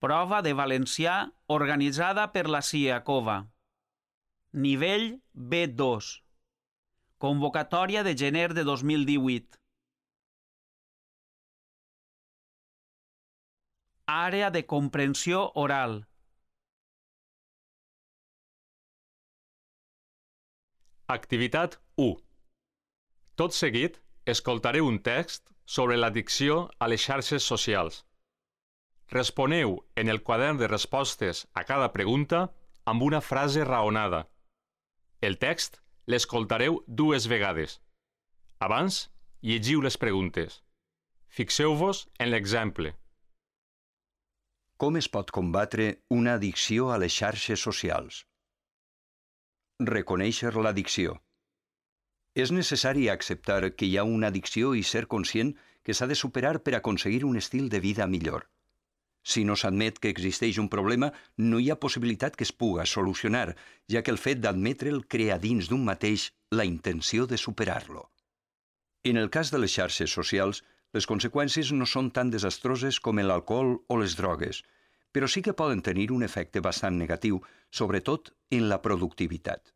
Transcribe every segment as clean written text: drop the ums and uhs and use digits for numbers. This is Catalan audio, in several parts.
Prova de valencià organitzada per la CIACOVA. Nivell B2. Convocatòria de gener de 2018. Àrea de comprensió oral. Activitat 1. Tot seguit, escoltaré un text sobre l'addicció a les xarxes socials. Responeu en el quadern de respostes a cada pregunta amb una frase raonada. El text l'escoltareu 2 vegades. Abans, llegiu les preguntes. Fixeu-vos en l'exemple. Com es pot combatre una addicció a les xarxes socials? Reconèixer l'addicció. És necessari acceptar que hi ha una addicció i ser conscient que s'ha de superar per aconseguir un estil de vida millor. Si no s'admet que existeix un problema, no hi ha possibilitat que es puga solucionar, ja que el fet d'admetre'l crea dins d'un mateix la intenció de superar-lo. En el cas de les xarxes socials, les conseqüències no són tan desastroses com l'alcohol o les drogues, però sí que poden tenir un efecte bastant negatiu, sobretot en la productivitat.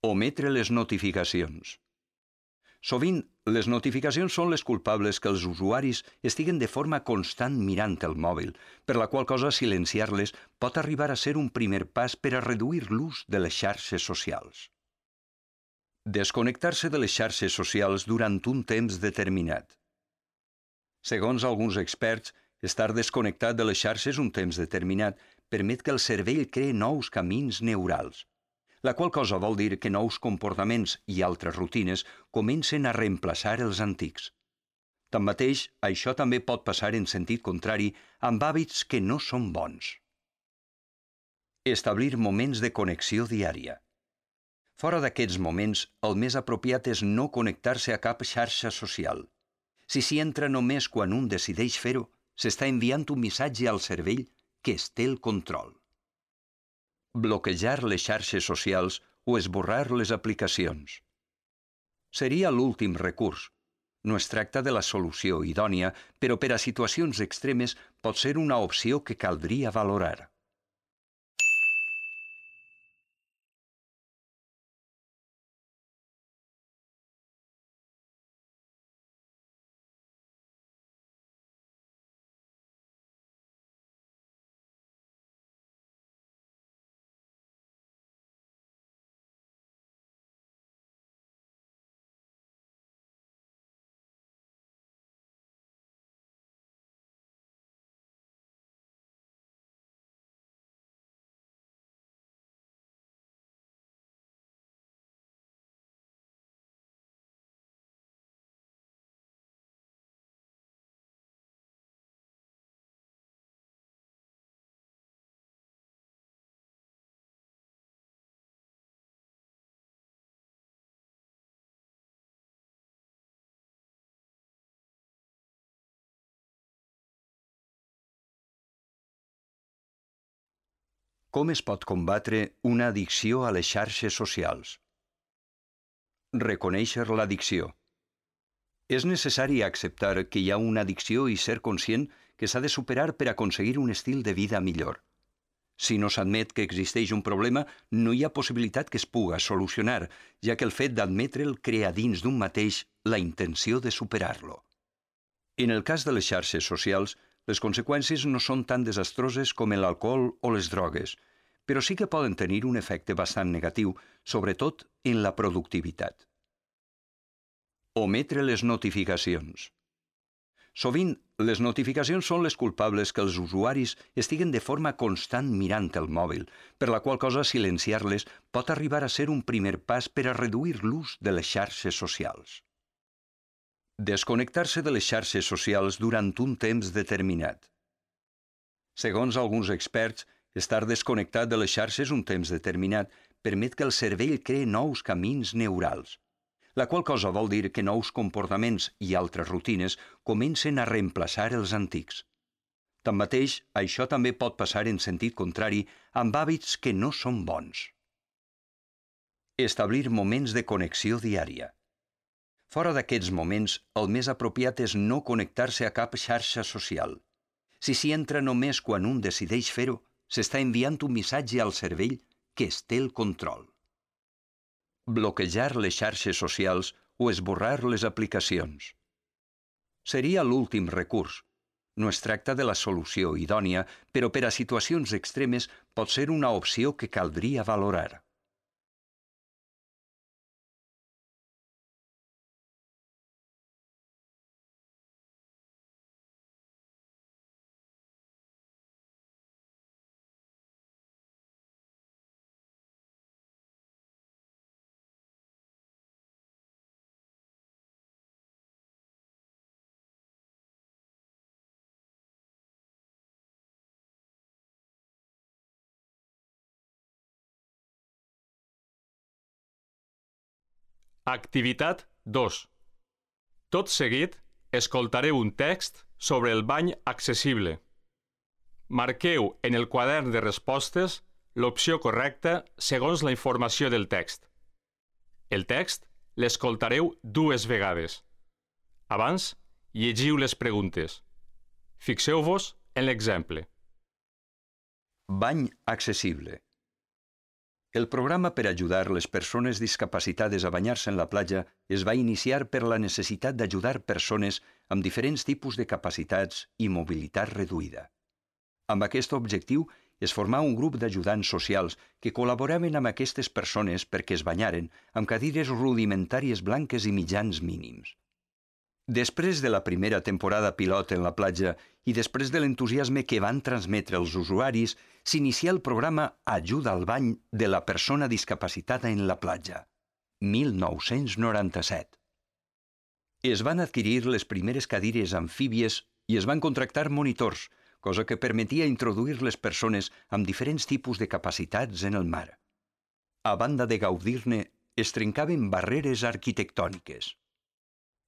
Ometre les notificacions. Sovint, les notificacions són les culpables que els usuaris estiguen de forma constant mirant el mòbil, per la qual cosa silenciar-les pot arribar a ser un primer pas per a reduir l'ús de les xarxes socials. Desconnectar-se de les xarxes socials durant un temps determinat. Segons alguns experts, estar desconnectat de les xarxes un temps determinat permet que el cervell cree nous camins neurals, la qual cosa vol dir que nous comportaments i altres rutines comencen a reemplaçar els antics. Tanmateix, això també pot passar en sentit contrari amb hàbits que no són bons. Establir moments de connexió diària. Fora d'aquests moments, el més apropiat és no connectar-se a cap xarxa social. Si s'hi entra només quan un decideix fer-ho, s'està enviant un missatge al cervell que es té el control. Bloquejar les xarxes socials o esborrar les aplicacions. Seria l'últim recurs. No es tracta de la solució idònia, però per a situacions extremes pot ser una opció que caldria valorar. Com es pot combatre una addicció a les xarxes socials? Reconèixer l'addicció. És necessari acceptar que hi ha una addicció i ser conscient que s'ha de superar per aconseguir un estil de vida millor. Si no s'admet que existeix un problema, no hi ha possibilitat que es puga solucionar, ja que el fet d'admetre'l crea dins d'un mateix la intenció de superar-lo. En el cas de les xarxes socials, les conseqüències no són tan desastroses com l'alcohol o les drogues, però sí que poden tenir un efecte bastant negatiu, sobretot en la productivitat. Ometre les notificacions. Sovint, les notificacions són les culpables que els usuaris estiguen de forma constant mirant el mòbil, per la qual cosa silenciar-les pot arribar a ser un primer pas per a reduir l'ús de les xarxes socials. Desconnectar-se de les xarxes socials durant un temps determinat. Segons alguns experts, estar desconnectat de les xarxes un temps determinat permet que el cervell cree nous camins neurals, la qual cosa vol dir que nous comportaments i altres rutines comencen a reemplaçar els antics. Tanmateix, això també pot passar en sentit contrari amb hàbits que no són bons. Establir moments de connexió diària. Fora d'aquests moments, el més apropiat és no connectar-se a cap xarxa social. Si s'hi entra només quan un decideix fer-ho, s'està enviant un missatge al cervell que es té el control. Bloquejar les xarxes socials o esborrar les aplicacions. Seria l'últim recurs. No es tracta de la solució idònia, però per a situacions extremes pot ser una opció que caldria valorar. Activitat 2. Tot seguit, escoltareu un text sobre el bany accessible. Marqueu en el quadern de respostes l'opció correcta segons la informació del text. El text l'escoltareu 2 vegades. Abans, llegiu les preguntes. Fixeu-vos en l'exemple. Bany accessible. El programa per ajudar les persones discapacitades a banyar-se en la platja es va iniciar per la necessitat d'ajudar persones amb diferents tipus de capacitats i mobilitat reduïda. Amb aquest objectiu es formà un grup d'ajudants socials que col·laboraven amb aquestes persones perquè es banyaren amb cadires rudimentàries blanques i mitjans mínims. Després de la primera temporada pilot en la platja i després de l'entusiasme que van transmetre els usuaris, s'inicia el programa Ajuda al bany de la persona discapacitada en la platja, 1997. Es van adquirir les primeres cadires amfíbies i es van contractar monitors, cosa que permetia introduir les persones amb diferents tipus de capacitats en el mar. A banda de gaudir-ne, es trencaven barreres arquitectòniques.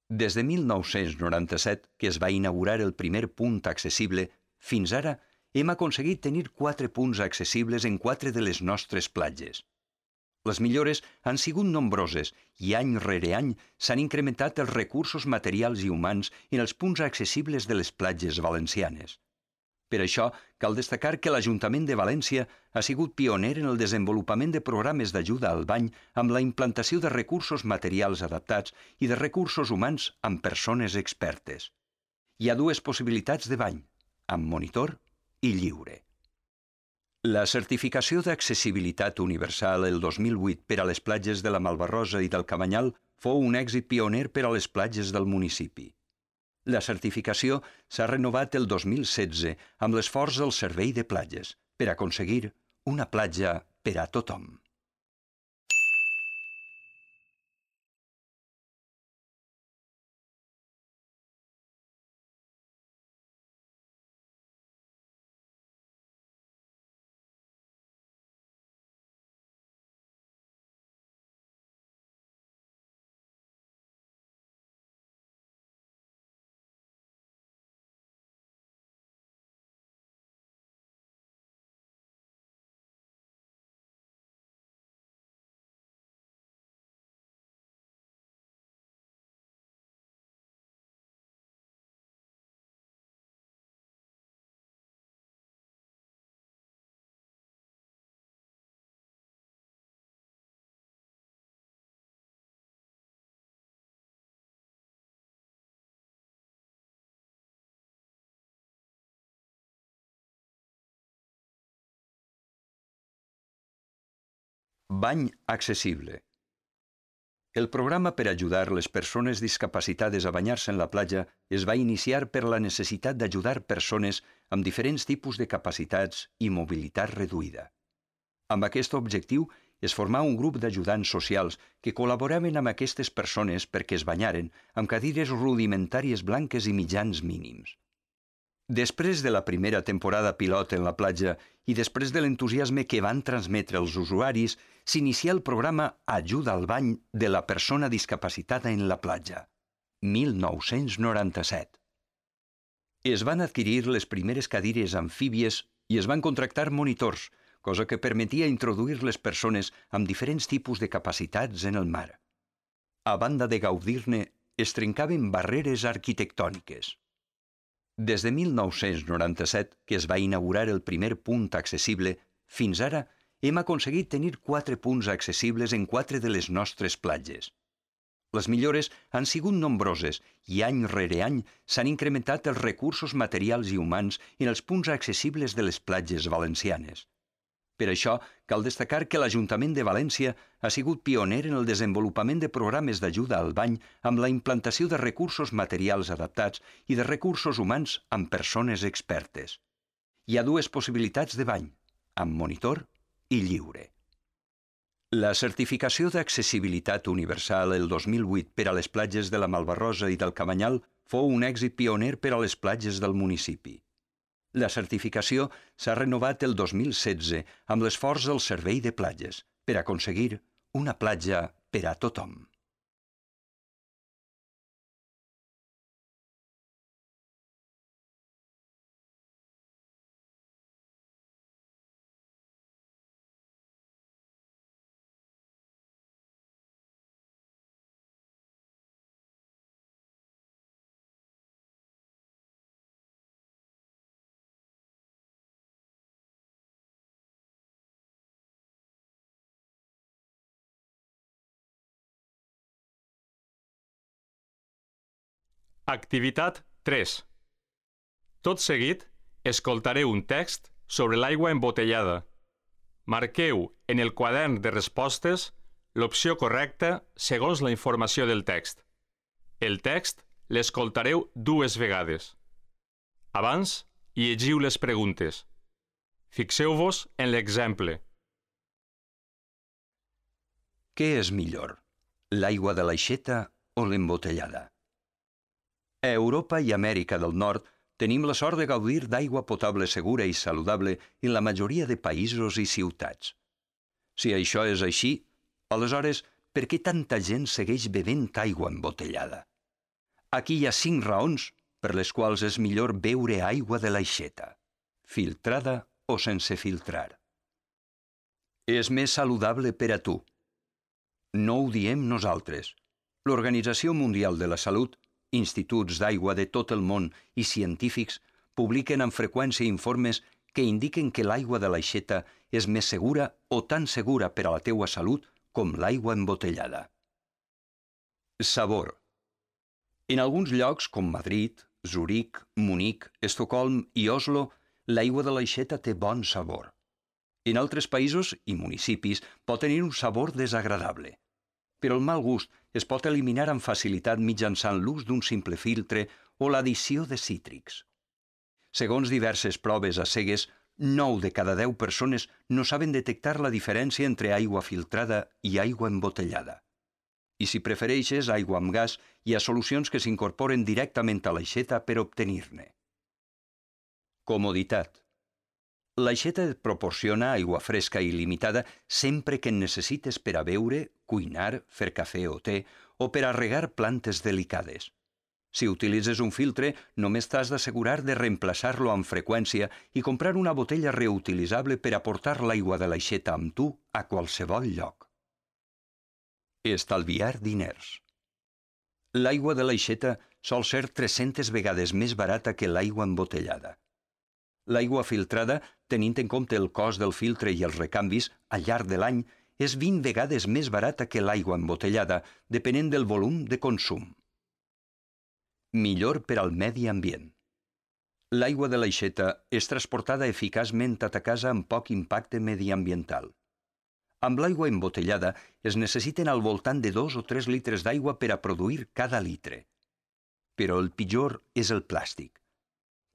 Des de 1997, que es va inaugurar el primer punt accessible, fins ara hem aconseguit tenir 4 punts accessibles en 4 de les nostres platges. Les millores han sigut nombroses i any rere any s'han incrementat els recursos materials i humans en els punts accessibles de les platges valencianes. Per això, cal destacar que l'Ajuntament de València ha sigut pioner en el desenvolupament de programes d'ajuda al bany amb la implantació de recursos materials adaptats i de recursos humans amb persones expertes. Hi ha 2 possibilitats de bany, amb monitor i lliure. La certificació d'accessibilitat universal el 2008 per a les platges de la Malvarrosa i del Cabanyal fou un èxit pioner per a les platges del municipi. La certificació s'ha renovat el 2016 amb l'esforç del Servei de Platges per aconseguir una platja per a tothom. Bany accessible. El programa per ajudar les persones discapacitades a banyar-se en la platja es va iniciar per la necessitat d'ajudar persones amb diferents tipus de capacitats i mobilitat reduïda. Amb aquest objectiu es formà un grup d'ajudants socials que col·laboraven amb aquestes persones perquè es banyaren amb cadires rudimentàries blanques i mitjans mínims. Després de la primera temporada pilot en la platja i després de l'entusiasme que van transmetre els usuaris, s'inicia el programa Ajuda al bany de la persona discapacitada en la platja, 1997. Es van adquirir les primeres cadires amfíbies i es van contractar monitors, cosa que permetia introduir les persones amb diferents tipus de capacitats en el mar. A banda de gaudir-ne, es trencaven barreres arquitectòniques. Des de 1997, que es va inaugurar el primer punt accessible, fins ara hem aconseguit tenir 4 punts accessibles en 4 de les nostres platges. Les millores han sigut nombroses i any rere any s'han incrementat els recursos materials i humans en els punts accessibles de les platges valencianes. Per això, cal destacar que l'Ajuntament de València ha sigut pioner en el desenvolupament de programes d'ajuda al bany amb la implantació de recursos materials adaptats i de recursos humans amb persones expertes. Hi ha 2 possibilitats de bany, amb monitor i lliure. La certificació d'accessibilitat universal el 2008 per a les platges de la Malvarrosa i del Cabanyal fou un èxit pioner per a les platges del municipi. La certificació s'ha renovat el 2016 amb l'esforç del Servei de Platges per aconseguir una platja per a tothom. Activitat 3. Tot seguit, escoltareu un text sobre l'aigua embotellada. Marqueu en el quadern de respostes l'opció correcta segons la informació del text. El text l'escoltareu 2 vegades. Abans, llegiu les preguntes. Fixeu-vos en l'exemple. Què és millor, l'aigua de l'aixeta o l'embotellada? A Europa i Amèrica del Nord tenim la sort de gaudir d'aigua potable segura i saludable en la majoria de països i ciutats. Si això és així, aleshores, per què tanta gent segueix bevent aigua embotellada? Aquí hi ha 5 raons per les quals és millor beure aigua de l'aixeta, filtrada o sense filtrar. És més saludable per a tu. No ho diem nosaltres. L'Organització Mundial de la Salut, instituts d'aigua de tot el món i científics publiquen amb freqüència informes que indiquen que l'aigua de l'aixeta és més segura o tan segura per a la teua salut com l'aigua embotellada. Sabor. En alguns llocs, com Madrid, Zuric, Munic, Estocolm i Oslo, l'aigua de l'aixeta té bon sabor. En altres països i municipis pot tenir un sabor desagradable. Però el mal gust es pot eliminar amb facilitat mitjançant l'ús d'un simple filtre o l'addició de cítrics. Segons diverses proves a cegues, 9 de cada 10 persones no saben detectar la diferència entre aigua filtrada i aigua embotellada. I si prefereixes aigua amb gas, hi ha solucions que s'incorporen directament a l'aixeta per obtenir-ne. Comoditat. L'aixeta et proporciona aigua fresca i il·limitada sempre que en necessites per a beure, cuinar, fer cafè o te o per a regar plantes delicades. Si utilitzes un filtre, només t'has d'assegurar de reemplaçar-lo amb freqüència i comprar una botella reutilitzable per a portar l'aigua de l'aixeta amb tu a qualsevol lloc. Estalviar diners. L'aigua de l'aixeta sol ser 300 vegades més barata que l'aigua embotellada. L'aigua filtrada, tenint en compte el cost del filtre i els recanvis, al llarg de l'any, és 20 vegades més barata que l'aigua embotellada, depenent del volum de consum. Millor per al medi ambient. L'aigua de l'aixeta és transportada eficaçment a ta casa amb poc impacte mediambiental. Amb l'aigua embotellada es necessiten al voltant de 2 o 3 litres d'aigua per a produir cada litre. Però el pitjor és el plàstic.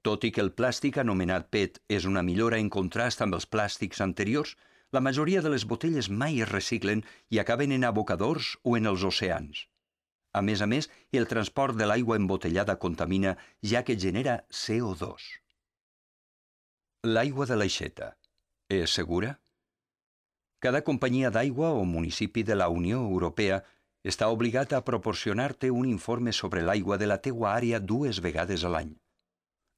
Tot i que el plàstic anomenat PET és una millora en contrast amb els plàstics anteriors, la majoria de les botelles mai es reciclen i acaben en abocadors o en els oceans. A més, el transport de l'aigua embotellada contamina, ja que genera CO2. L'aigua de l'aixeta és segura? Cada companyia d'aigua o municipi de la Unió Europea està obligat a proporcionar-te un informe sobre l'aigua de la teua àrea 2 vegades a l'any.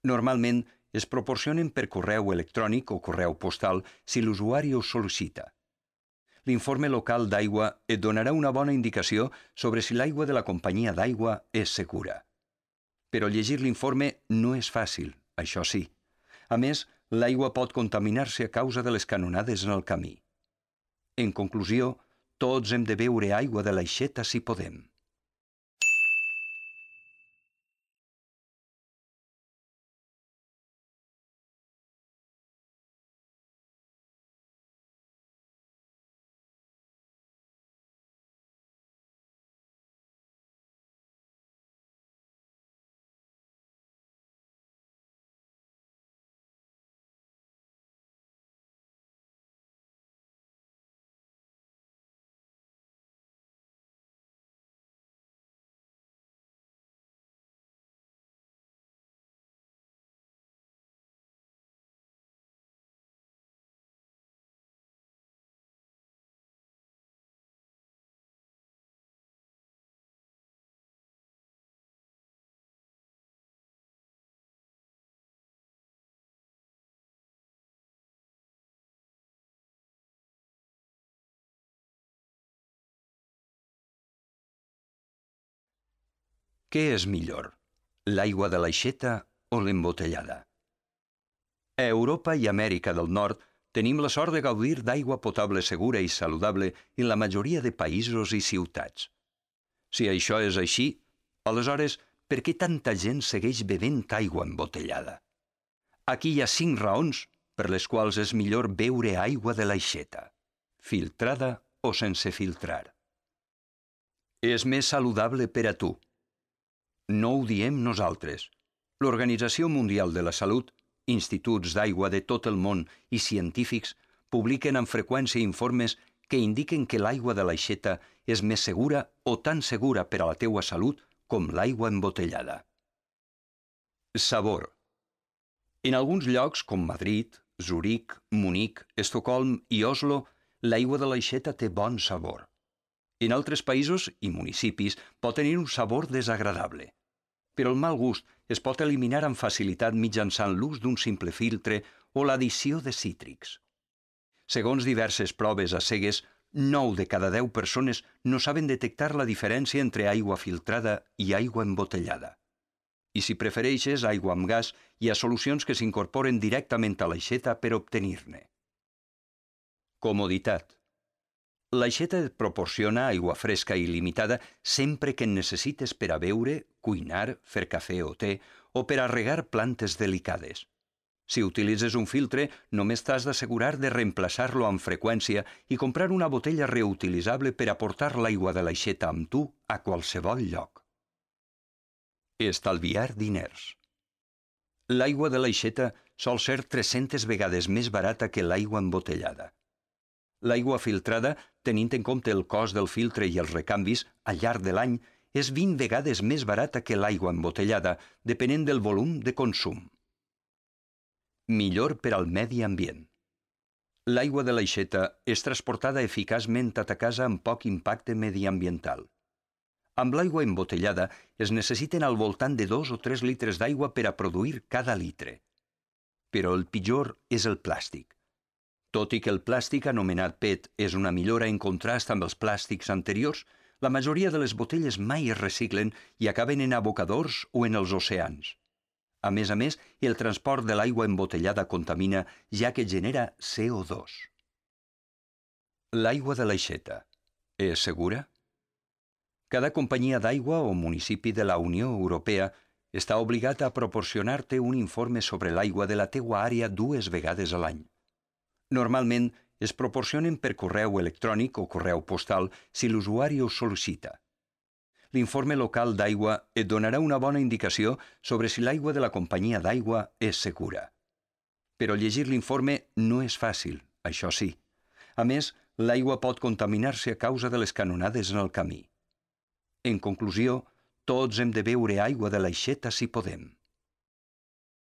Normalment es proporcionen per correu electrònic o correu postal si l'usuari ho sol·licita. L'informe local d'aigua et donarà una bona indicació sobre si l'aigua de la companyia d'aigua és segura. Però llegir l'informe no és fàcil, això sí. A més, l'aigua pot contaminar-se a causa de les canonades en el camí. En conclusió, tots hem de beure aigua de l'aixeta si podem. Què és millor, l'aigua de l'aixeta o l'embotellada? A Europa i Amèrica del Nord tenim la sort de gaudir d'aigua potable segura i saludable en la majoria de països i ciutats. Si això és així, aleshores, per què tanta gent segueix bevent aigua embotellada? Aquí hi ha 5 raons per les quals és millor beure aigua de l'aixeta, filtrada o sense filtrar. És més saludable per a tu. No ho diem nosaltres. L'Organització Mundial de la Salut, instituts d'aigua de tot el món i científics publiquen amb freqüència informes que indiquen que l'aigua de l'aixeta és més segura o tan segura per a la teua salut com l'aigua embotellada. Sabor. En alguns llocs com Madrid, Zuric, Munic, Estocolm i Oslo, l'aigua de l'aixeta té bon sabor. En altres països i municipis pot tenir un sabor desagradable. Però el mal gust es pot eliminar amb facilitat mitjançant l'ús d'un simple filtre o l'addició de cítrics. Segons diverses proves a cegues, 9 de cada 10 persones no saben detectar la diferència entre aigua filtrada i aigua embotellada. I si prefereixes aigua amb gas, hi ha solucions que s'incorporen directament a l'aixeta per obtenir-ne. Comoditat. L'aixeta et proporciona aigua fresca i il·limitada sempre que en necessites per a beure, cuinar, fer cafè o te o per a regar plantes delicades. Si utilitzes un filtre, només t'has d'assegurar de reemplaçar-lo amb freqüència i comprar una botella reutilitzable per a portar l'aigua de l'aixeta amb tu a qualsevol lloc. Estalviar diners. L'aigua de l'aixeta sol ser 300 vegades més barata que l'aigua embotellada. L'aigua filtrada, tenint en compte el cost del filtre i els recanvis, al llarg de l'any, és 20 vegades més barata que l'aigua embotellada, depenent del volum de consum. Millor per al medi ambient. L'aigua de l'aixeta és transportada eficaçment a ta casa amb poc impacte mediambiental. Amb l'aigua embotellada es necessiten al voltant de 2 o 3 litres d'aigua per a produir cada litre. Però el pitjor és el plàstic. Tot i que el plàstic anomenat PET és una millora en contrast amb els plàstics anteriors, la majoria de les botelles mai es reciclen i acaben en abocadors o en els oceans. A més, el transport de l'aigua embotellada contamina, ja que genera CO2. L'aigua de l'aixeta és segura? Cada companyia d'aigua o municipi de la Unió Europea està obligat a proporcionar-te un informe sobre l'aigua de la teua àrea 2 vegades a l'any. Normalment es proporcionen per correu electrònic o correu postal si l'usuari ho sol·licita. L'informe local d'aigua et donarà una bona indicació sobre si l'aigua de la companyia d'aigua és segura. Però llegir l'informe no és fàcil, això sí. A més, l'aigua pot contaminar-se a causa de les canonades en el camí. En conclusió, tots hem de beure aigua de l'aixeta si podem.